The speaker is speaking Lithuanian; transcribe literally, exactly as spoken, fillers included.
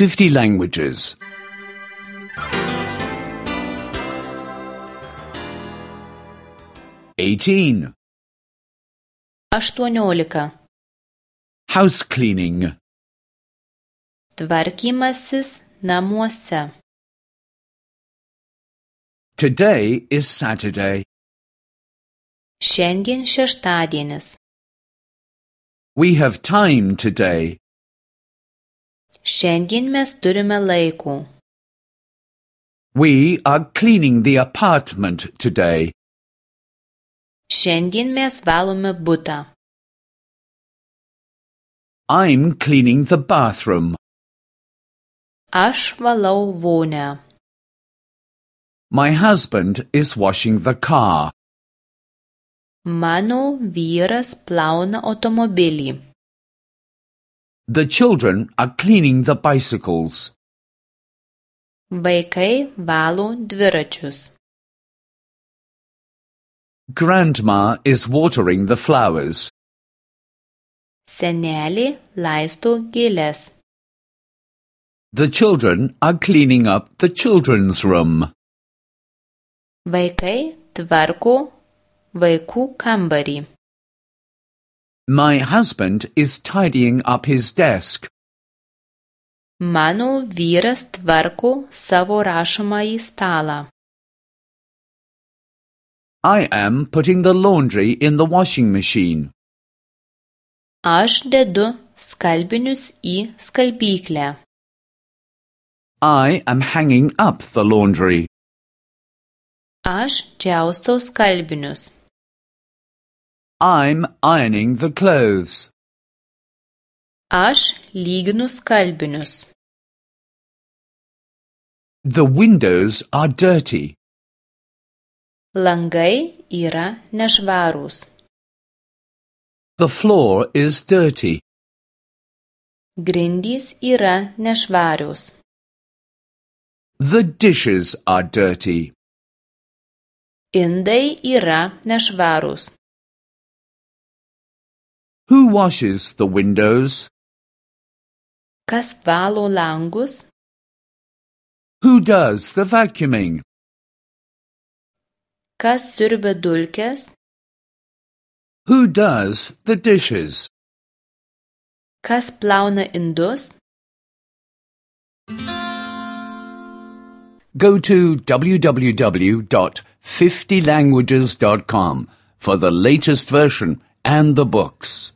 fifty languages. eighteen. aštuoniolika. House cleaning. Tvarkymasis namuose. Today is Saturday. Šiandien šeštadienis. We have time today. Šiandien mes turime laiko. We are cleaning the apartment today. Šiandien mes valome butą. I'm cleaning the bathroom. Aš valau vonią. My husband is washing the car. Mano vyras plauna automobilį. The children are cleaning the bicycles. Vaikai valo dviračius. Grandma is watering the flowers. Senelė laisto gėles. The children are cleaning up the children's room. Vaikai tvarko vaikų kambarį. My husband is tidying up his desk. Mano vyras tvarko savo rašomąjį stalą. I am putting the laundry in the washing machine. Aš dedu skalbinius į skalbyklę. I am hanging up the laundry. Aš džiaustau skalbinius. I'm ironing the clothes. Aš lyginu skalbinius. The windows are dirty. Langai yra nešvarūs. The floor is dirty. Grindys yra nešvarios. The dishes are dirty. Indai yra nešvarūs. Who washes the windows? Kas valo langus? Who does the vacuuming? Kas siurbia dulkes? Who does the dishes? Kas plauna indus? Go to w w w dot fifty languages dot com for the latest version and the books.